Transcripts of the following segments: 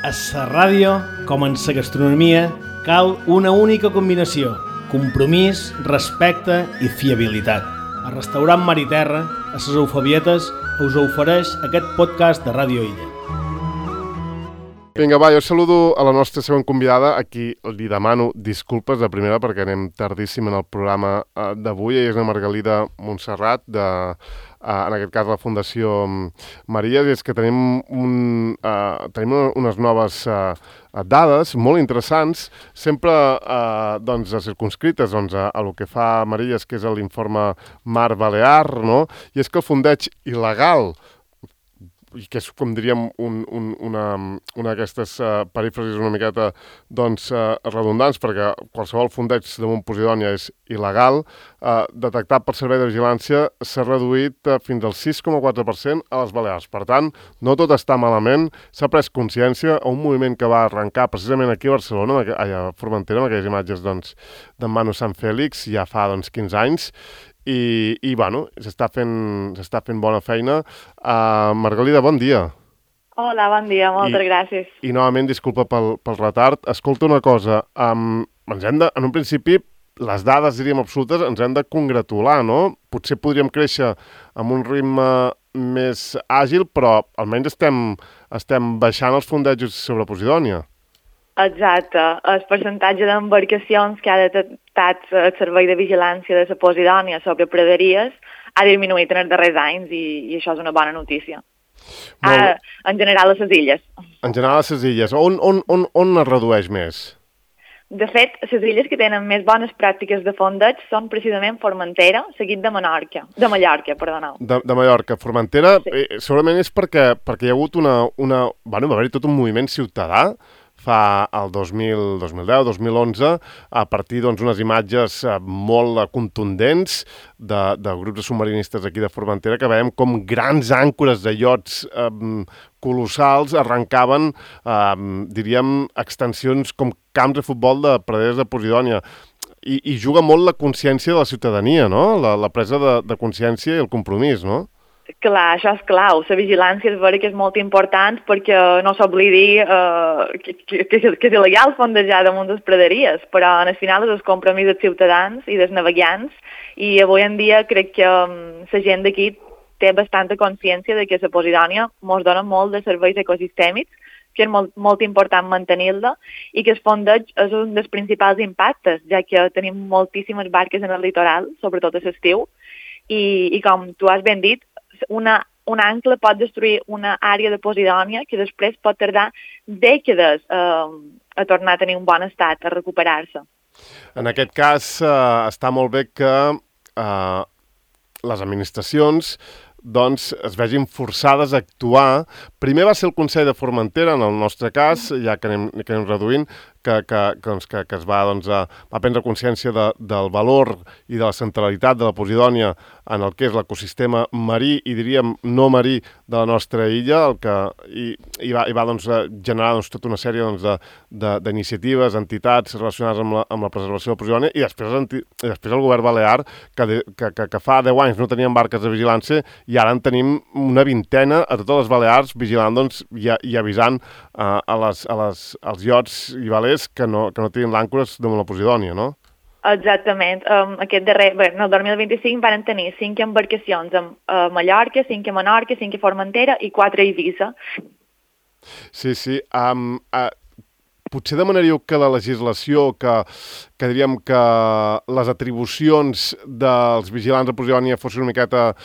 A la ràdio, com en la gastronomia, cal una única combinació: compromís, respecte i fiabilitat. El restaurant Mar i Terra, a les Eufabietes, us ofereix aquest podcast de Ràdio Illa. Vinga, va, jo saludo a la nostra següent convidada, a qui li demano disculpes de primera perquè anem tardíssim en el programa d'avui. Ella és la Margalida Montserrat, en aquest cas la Fundació Maries, i és que tenim unes noves dades molt interessants, sempre circumscrites a lo que fa Maries, que és l'informe Mar Balear, no? I és que el fondeig il·legal, i que és, com diríem, una d'aquestes perífrasis una miqueta redundants, perquè qualsevol fondeig damunt Posidònia és il·legal, detectat per Servei de Vigilància s'ha reduït fins al 6,4% a les Balears. Per tant, no tot està malament, s'ha pres consciència a un moviment que va arrencar precisament aquí a Barcelona, a Formentera, amb aquelles imatges d'en Manu Sant Fèlix, ja fa 15 anys, i bueno, s'està fent bona feina. Margalida, bon dia. Hola, bon dia, moltes gràcies. I novament, disculpa pel retard. Escolta una cosa, en un principi, les dades, diríem, absolutes, ens hem de congratular, no? Potser podríem créixer amb un ritme més àgil, però almenys estem baixant els fondejos sobre Posidònia. Exacte. El percentatge d'embarcacions que ha detectat el Servei de Vigilància de la Posidònia sobre praderies ha disminuït en els darrers anys i això és una bona notícia. En general a les illes. En general a les illes. On es redueix més? De fet, les illes que tenen més bones pràctiques de fondeig són precisament Formentera, seguit de Mallorca. De Mallorca. Formentera, sí. Segurament és perquè hi ha hagut va haver-hi tot un moviment ciutadà fa el 2010-2011, a partir d'unes imatges molt contundents de grups de submarinistes aquí de Formentera, que veiem com grans àncores de iots colossals arrencaven, diríem, extensions com camps de futbol de praderes de Posidònia. I juga molt la consciència de la ciutadania, no? La presa de consciència i el compromís, no? Clar, això és clau. La vigilància és vera que és molt important perquè no s'oblidi que és il·legal fondejar damunt les praderies, però al final és el compromís dels ciutadans i dels navegants, i avui en dia crec que la gent d'aquí té bastanta consciència de que la Posidònia ens dona molt de serveis ecosistèmics, que és molt important mantenir-la, i que el fondeig és un dels principals impactes, ja que tenim moltíssimes barques en el litoral, sobretot a l'estiu, i com tu has ben dit, un ancle pot destruir una àrea de Posidònia que després pot tardar dècades a tornar a tenir un bon estat, a recuperar-se. En aquest cas, està molt bé que les administracions es vegin forçades a actuar. Primer va ser el Consell de Formentera, en el nostre cas, ja que anem reduint, que es va prendre consciència del valor i de la centralitat de la Posidònia en el que és l'ecosistema marí i, diríem, no marí de la nostra illa, i va generar tota una sèrie d'iniciatives, entitats relacionades amb la preservació de la Posidònia, i després el govern balear, que fa 10 anys no tenien barques de vigilància, i ara en tenim una vintena a totes les Balears vigilant i avisant als iots i velers que no tinguin l'àncores damunt la Posidònia, no? Exactament. El 2025 van tenir 5 embarcacions a Mallorca, 5 a Menorca, 5 a Formentera i 4 a Eivissa. Sí. Potser demanaríeu que la legislació, que diríem que les atribucions dels vigilants de Posidònia fossin una miqueta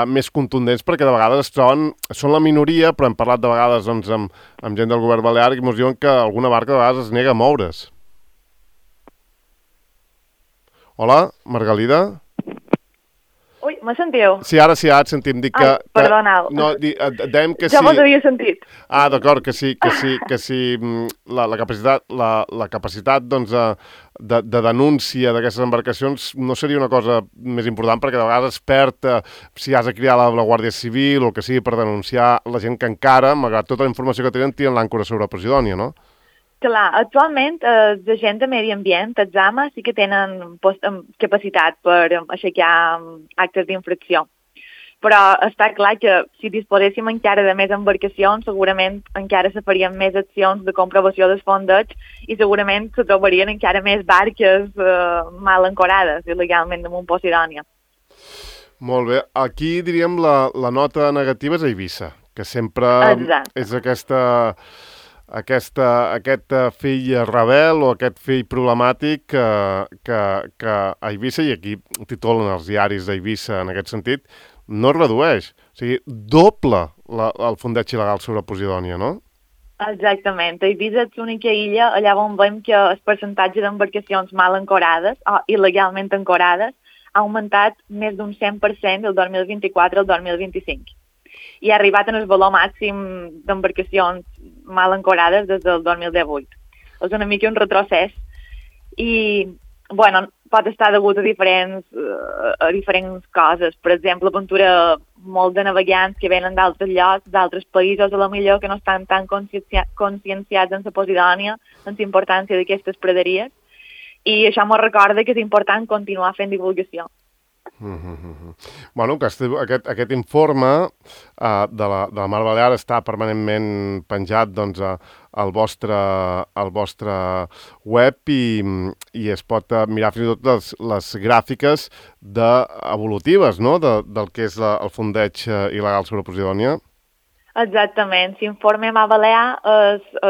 més contundents, perquè de vegades són la minoria, però hem parlat de vegades amb gent del govern balear i ens diuen que alguna barca de vegades es nega a moure's. Hola, Margalida? Ui, me sentiu? Sí, ara et sentim. Perdoneu. Dèiem que sí. Ja vos havia sentit. D'acord, que sí, la capacitat de denúncia d'aquestes embarcacions no seria una cosa més important, perquè de vegades es perd si has de cridar la Guàrdia Civil o el que sigui per denunciar la gent que encara, malgrat tota la informació que tenen l'àncora sobre Posidònia, no? Clar, actualment els agents de medi ambient, els AMA, sí que tenen capacitat per aixecar actes d'infracció. però està clar que si disposéssim encara de més embarcacions, segurament encara se farien més accions de comprovació del fondeig i segurament se trobarien encara més barques mal ancorades il·legalment damunt Posidònia. Molt bé. Aquí, diríem, la nota negativa és a Eivissa, que sempre és aquest fill rebel o aquest fill problemàtic que a Eivissa, i aquí titulen els diaris d'Eivissa en aquest sentit, no es redueix. O sigui, doble el fondeig il·legal sobre Posidònia, no? Exactament. Eivissa és l'única illa allà on veiem que el percentatge d'embarcacions mal ancorades o il·legalment ancorades ha augmentat més d'un 100% del 2024 al 2025 i ha arribat en el valor màxim d'embarcacions mal ancorades des del 2018. És una mica un retrocés i, bueno, pot estar degut a diferents coses. Per exemple, aventura molt de navegants que venen d'altres llocs, d'altres països, a la millor que no estan tan conscienciats en la Posidònia, en la importància d'aquestes praderies, i això m'ho recorda que és important continuar fent divulgació. Bueno, aquest informe de la Mar Balear està permanentment penjat doncs, al vostre web i es pot mirar fins i tot les gràfiques evolutives, no?, del que és el fondeig il·legal sobre Posidònia. Exactament. L'informe Mar Balear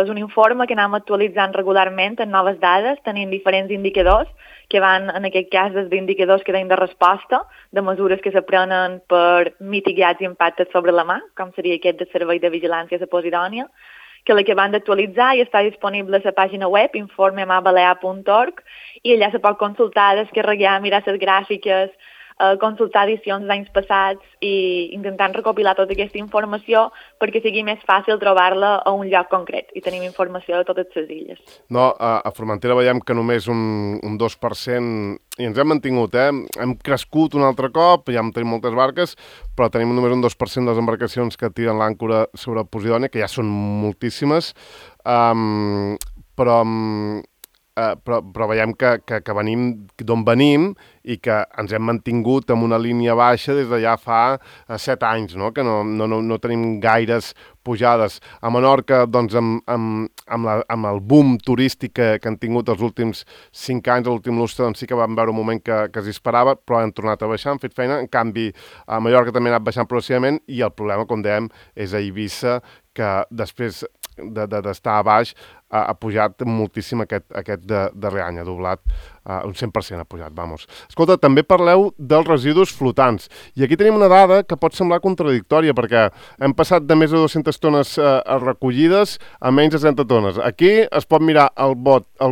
és un informe que anem actualitzant regularment amb noves dades, tenint diferents indicadors que van, en aquest cas, des d'indicadors que deien de resposta, de mesures que s'aprenen per mitigar els impactes sobre la mar, com seria aquest de Servei de Vigilància a Posidònia, que l'acaben d'actualitzar i està disponible a la pàgina web informemarbalea.org i allà se pot consultar, descarregar, mirar les gràfiques, consultar edicions d'anys passats i intentant recopilar tota aquesta informació perquè sigui més fàcil trobar-la a un lloc concret i tenim informació de totes les illes. No, a Formentera veiem que només un 2% i ens hem mantingut, hem crescut un altre cop, ja tenim moltes barques, però tenim només un 2% de les embarcacions que tiren l'àncora sobre Posidònia, que ja són moltíssimes, però veiem que venim d'on venim i que ens hem mantingut amb una línia baixa des de ja fa 7 anys, no? Que no tenim gaires pujades. A Menorca, doncs, amb el boom turístic que han tingut els últims 5 anys, l'últim lustre, doncs sí que vam veure un moment que es disparava, però han tornat a baixar, han fet feina. En canvi, a Mallorca també ha anat baixant progressivament i el problema, com dèiem, és a Eivissa, que després d'estar a baix ha pujat moltíssim aquest darrer any, ha doblat, un 100% ha pujat, vamos. Escolta, també parleu dels residus flotants, i aquí tenim una dada que pot semblar contradictòria, perquè hem passat de més de 200 tones recollides a menys de 30 tones. Aquí es pot mirar el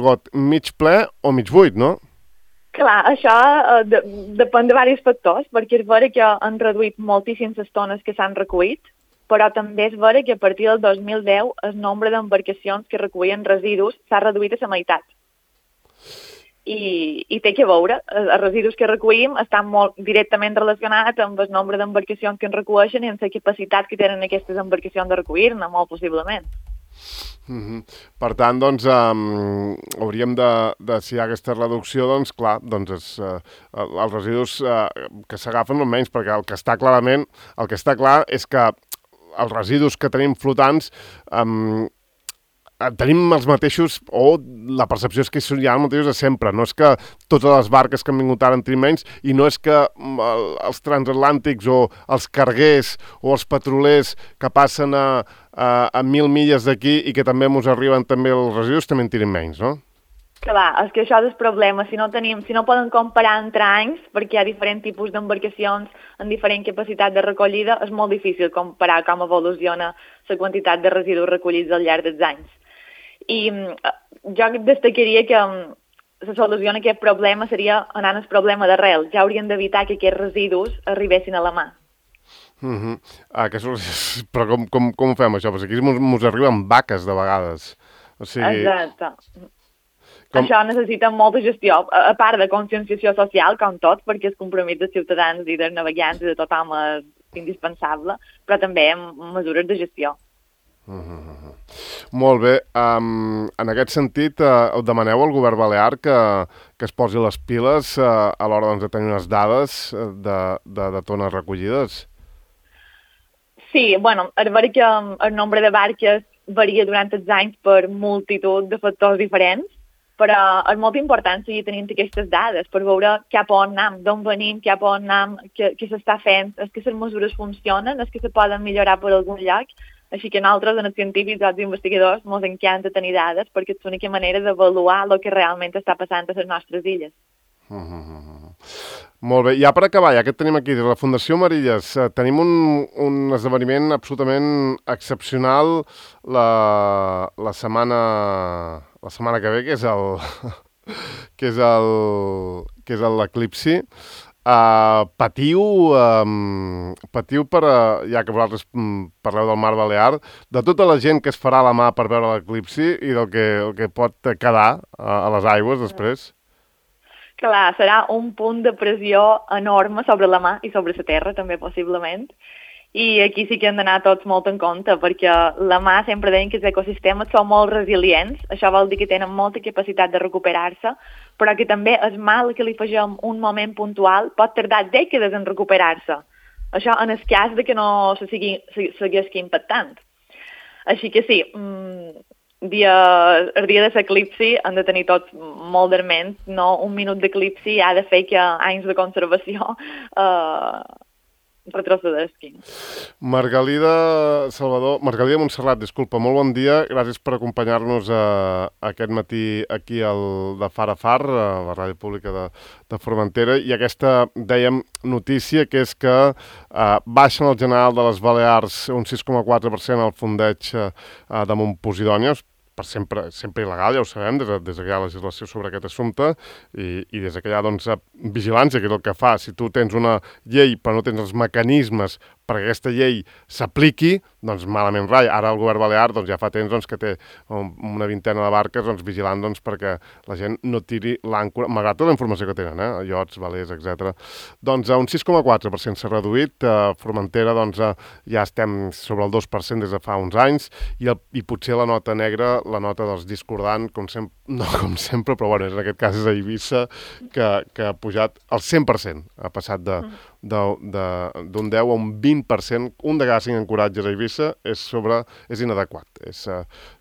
got mig ple o mig buit, no? Clar, això depèn de diversos factors, perquè és vera que han reduït moltíssimes les tones que s'han recollit, però també és vera que a partir del 2010 el nombre d'embarcacions que recullien residus s'ha reduït a la meitat. I té que veure, els residus que recollim estan molt directament relacionats amb el nombre d'embarcacions que en reculleixen i amb la capacitat que tenen aquestes embarcacions de recollir-ne, molt possiblement. Per tant, doncs, hauríem de, si hi ha aquesta reducció, doncs, clar, doncs els residus que s'agafen almenys, perquè el que està clar és que els residus que tenim flotants tenim els mateixos, o la percepció és que hi ha els mateixos de sempre. No és que totes les barques que han vingut ara en tenim menys, i no és que els transatlàntics o els carguers o els petrolers que passen a 1.000 milles d'aquí i que també ens arriben també els residus també en tirin menys, no? Clar, és que això és el problema. Si no poden comparar entre anys, perquè hi ha diferents tipus d'embarcacions amb diferent capacitat de recollida, és molt difícil comparar com evoluciona la quantitat de residus recollits al llarg dels anys. I jo destacaria que la solució a aquest problema seria anant al problema d'arrel. Ja haurien d'evitar que aquests residus arribessin a la mà. Però com ho fem, això? Perquè aquí ens arriben vaques, de vegades. O sigui... Exacte. Això necessita molta gestió, a part de conscienciació social, com tot, perquè el compromís dels ciutadans i dels navegants i de tothom és indispensable, però també mesures de gestió. Molt bé. En aquest sentit, demaneu al govern balear que es posi les piles a l'hora de tenir unes dades de tones recollides? Sí, bueno, és veritat que el nombre de barques varia durant els anys per multitud de factors diferents, però és molt important seguir tenint aquestes dades per veure cap a on anem, d'on venim, cap a on anem, què s'està fent, és que les mesures funcionen, és que se poden millorar per algun lloc. Així que nosaltres, en els científics i els investigadors, ens encanta tenir dades perquè és l'única manera d'avaluar el que realment està passant a les nostres illes. Molt bé, ja per acabar, ja que et tenim aquí, des de la Fundació Marilles, tenim un esdeveniment absolutament excepcional la setmana que ve, que és l'eclipsi. Patiu per, ja que vosaltres parleu del Mar Balear, de tota la gent que es farà la mà per veure l'eclipsi i del que pot quedar a les aigües després. Clar, serà un punt de pressió enorme sobre la mà i sobre la terra, també, possiblement. I aquí sí que hem d'anar tots molt en compte, perquè la mà sempre deien que els ecosistemes són molt resilients, això vol dir que tenen molta capacitat de recuperar-se, però que també és mal que li afegim un moment puntual, pot tardar dècades en recuperar-se. Això en el cas de que no se segueixi impactant. Així que sí, el dia de l'eclipsi han de tenir tots molt d'arment, no un minut d'eclipsi ha de fer que anys de conservació retrocedesquin. Margalida Montserrat, disculpa, molt bon dia, gràcies per acompanyar-nos aquest matí aquí de Far a Far, a la ràdio pública de Formentera, i aquesta, dèiem, notícia, que és que baixen el general de les Balears un 6,4% al fondeig de Montposidònia, per sempre il·legal, ja ho sabem, des que hi ha legislació sobre aquest assumpte, i des que hi ha vigilància, que és el que fa. Si tu tens una llei però no tens els mecanismes perquè aquesta llei s'apliqui, doncs malament rai. Ara el govern balear ja fa temps que té una vintena de barques vigilant perquè la gent no tiri l'àncora, malgrat tota la informació que tenen, iots, velers, etc. Doncs un 6,4% s'ha reduït. A Formentera ja estem sobre el 2% des de fa uns anys, i potser la nota negra, la nota dels discordant, no com sempre, però bueno, en aquest cas és a Eivissa, que ha pujat al 100%, ha passat d'un 10 a un 20%, un de cada 5 ancoratges a Eivissa és inadequat, és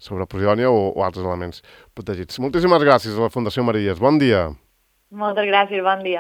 sobre Posidònia o altres elements protegits. Moltíssimes gràcies a la Fundació Marilles. Bon dia. Moltes gràcies, bon dia.